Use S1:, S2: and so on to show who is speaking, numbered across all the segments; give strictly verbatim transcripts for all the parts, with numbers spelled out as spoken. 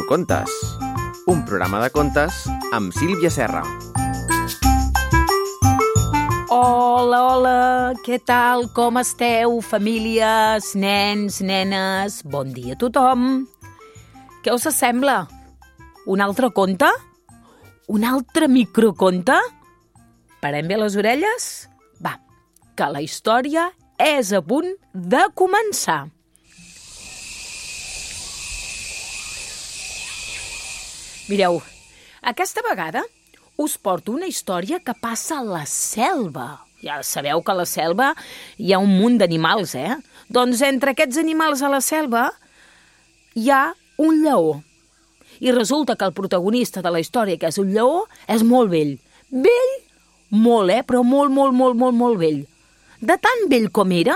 S1: Microcontes, un programa de contes amb Sílvia Serra.
S2: Hola, hola, què tal? Com esteu, famílies, nens, nenes? Bon dia a tothom. Què us sembla? Un altre conte? Un altre microconte? Parem bé les orelles? Va, que la història és a punt de començar. Mireu, aquesta vegada us porto una història que passa a la selva. Ja sabeu que a la selva hi ha un munt d'animals, eh? Doncs entre aquests animals a la selva hi ha un lleó. I resulta que el protagonista de la història, que és un lleó, és molt vell. Vell? Molt, eh? Però molt, molt, molt, molt, molt vell. De tan vell com era,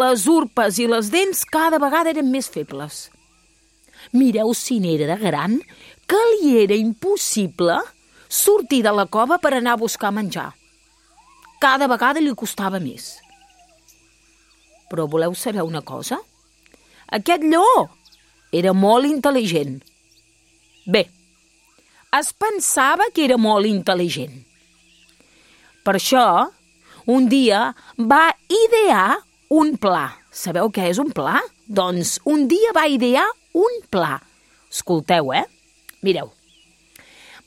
S2: les urpes i les dents cada vegada eren més febles. Mireu si n'era de gran, que li era impossible sortir de la cova per anar a buscar menjar. Cada vegada li costava més. Però voleu saber una cosa? Aquest lleó era molt intel·ligent. Bé, es pensava que era molt intel·ligent. Per això, un dia va idear un pla. Sabeu què és un pla? Doncs un dia va idear un pla. Escolteu, eh? Mireu.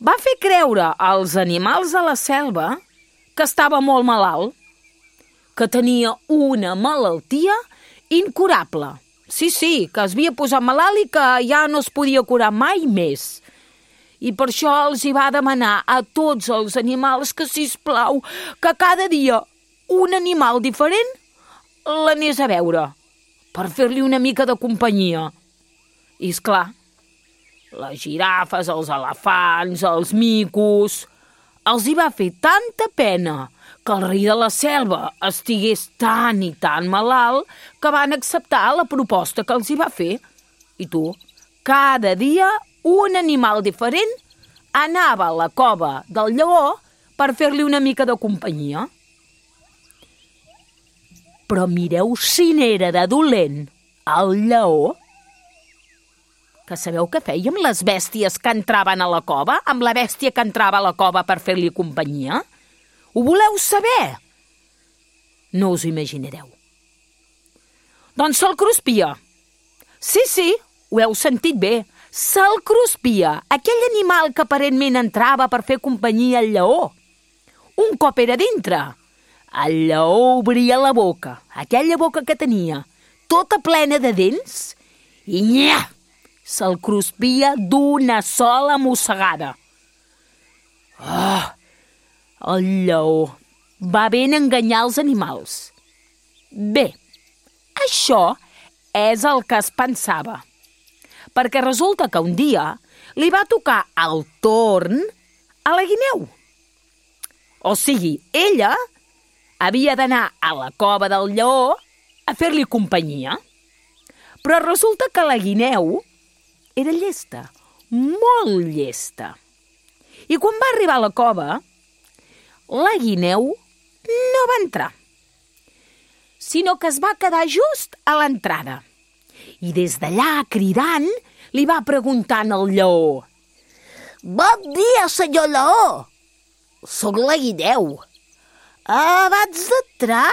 S2: Va fer creure als animals de la selva que estava molt malalt, que tenia una malaltia incurable. Sí, sí, que es havia posat malalt i que ja no es podia curar mai més. I per això els hi va demanar a tots els animals que, sisplau, que cada dia un animal diferent l'anés a veure, per fer-li una mica de companyia. I, esclar, les girafes, els elefants, els micos, els hi va fer tanta pena que el rei de la selva estigués tan i tan malalt que van acceptar la proposta que els hi va fer. I tu, cada dia un animal diferent anava a la cova del lleó per fer-li una mica de companyia. Però mireu si n'era de dolent el lleó. Que sabeu què feia amb les bèsties que entraven a la cova? Amb la bèstia que entrava a la cova per fer-li companyia? Ho voleu saber? No us ho imaginareu. Doncs se'l cruspia. Sí, sí, ho heu sentit bé. Se'l cruspia, aquell animal que aparentment entrava per fer companyia al lleó. Un cop era dintre, el lleó obria la boca, aquella boca que tenia, tota plena de dents, i nyah! Se'l cruspia d'una sola mossegada. Oh, el lleó va ben enganyar els animals. Bé, això és el que es pensava, perquè resulta que un dia li va tocar el torn a la guineu. O sigui, ella havia d'anar a la cova del lleó a fer-li companyia. Però resulta que la guineu era llesta, molt llesta. I quan va arribar a la cova, la guineu no va entrar, sinó que es va quedar just a l'entrada. I des d'allà, cridant, li va preguntant al lleó: «Bon dia, senyor lleó! Soc la guineu. Abans d'entrar,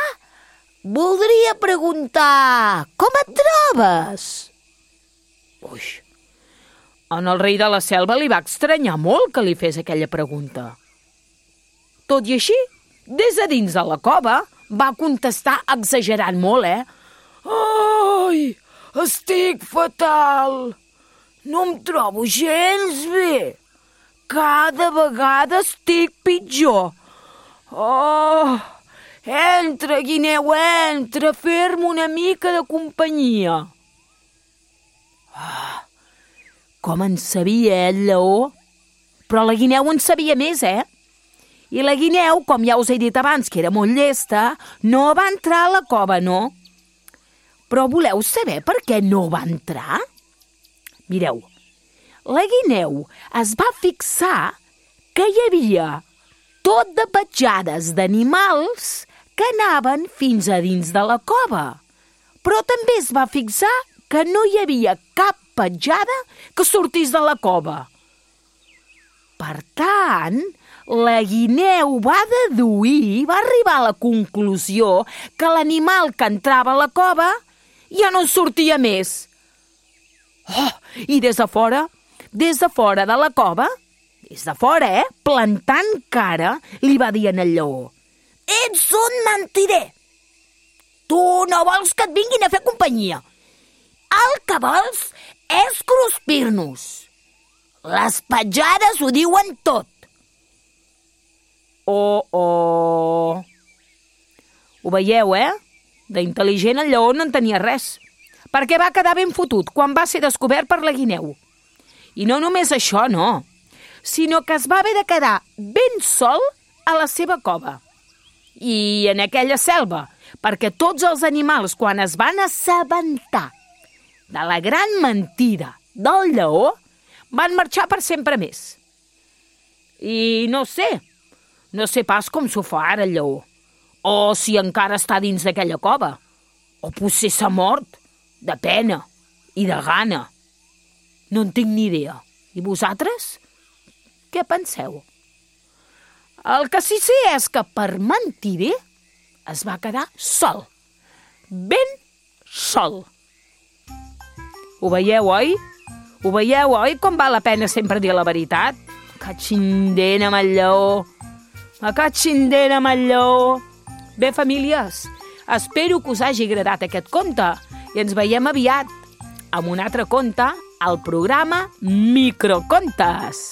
S2: voldria preguntar com et trobes?» Ui, en el rei de la selva li va estranyar molt que li fes aquella pregunta. Tot i així, des de dins de la cova, va contestar exagerant molt, eh? «Ai, estic fatal! No em trobo gens bé! Cada vegada estic pitjor! Oh, entra, guineu, entra, a fer-me una mica de companyia!» Ah, com en sabia el lleó? Però la guineu en sabia més, eh? I la guineu, com ja us he dit abans, que era molt llesta, no va entrar a la cova, no? Però voleu saber per què no va entrar? Mireu, la guineu es va fixar que hi havia tot de petjades d'animals que anaven fins a dins de la cova. Però també es va fixar que no hi havia cap petjada que sortís de la cova. Per tant, la guineu va deduir, va arribar a la conclusió que l'animal que entrava a la cova ja no en sortia més. Oh, i des de fora, des de fora de la cova, des de fora, eh, plantant cara, li va dir al lleó: «Ets un mentider! Tu no vols que et vinguin a fer companyia. El que vols és cruspir-nos. Les petjades ho diuen tot». Oh, oh... Ho veieu, eh? D'intel·ligent el lleó no en tenia res, perquè va quedar ben fotut quan va ser descobert per la guineu. I no només això, no, sinó que es va haver de quedar ben sol a la seva cova. I en aquella selva, perquè tots els animals, quan es van assabentar de la gran mentida del lleó, van marxar per sempre més. I no sé, no sé pas com s'ho fa ara el lleó, o si encara està dins d'aquella cova, o potser s'ha mort, de pena i de gana. No en tinc ni idea. I vosaltres? Què penseu? El que sí sé és que per mentider es va quedar sol, ben sol. Ho veieu, oi? Ho veieu, oi, com val la pena sempre dir la veritat? Que xindent amb el lleó, que xindent amb el lleó. Bé, famílies, espero que us hagi agradat aquest conte i ens veiem aviat amb un altre conte al programa Microcontes.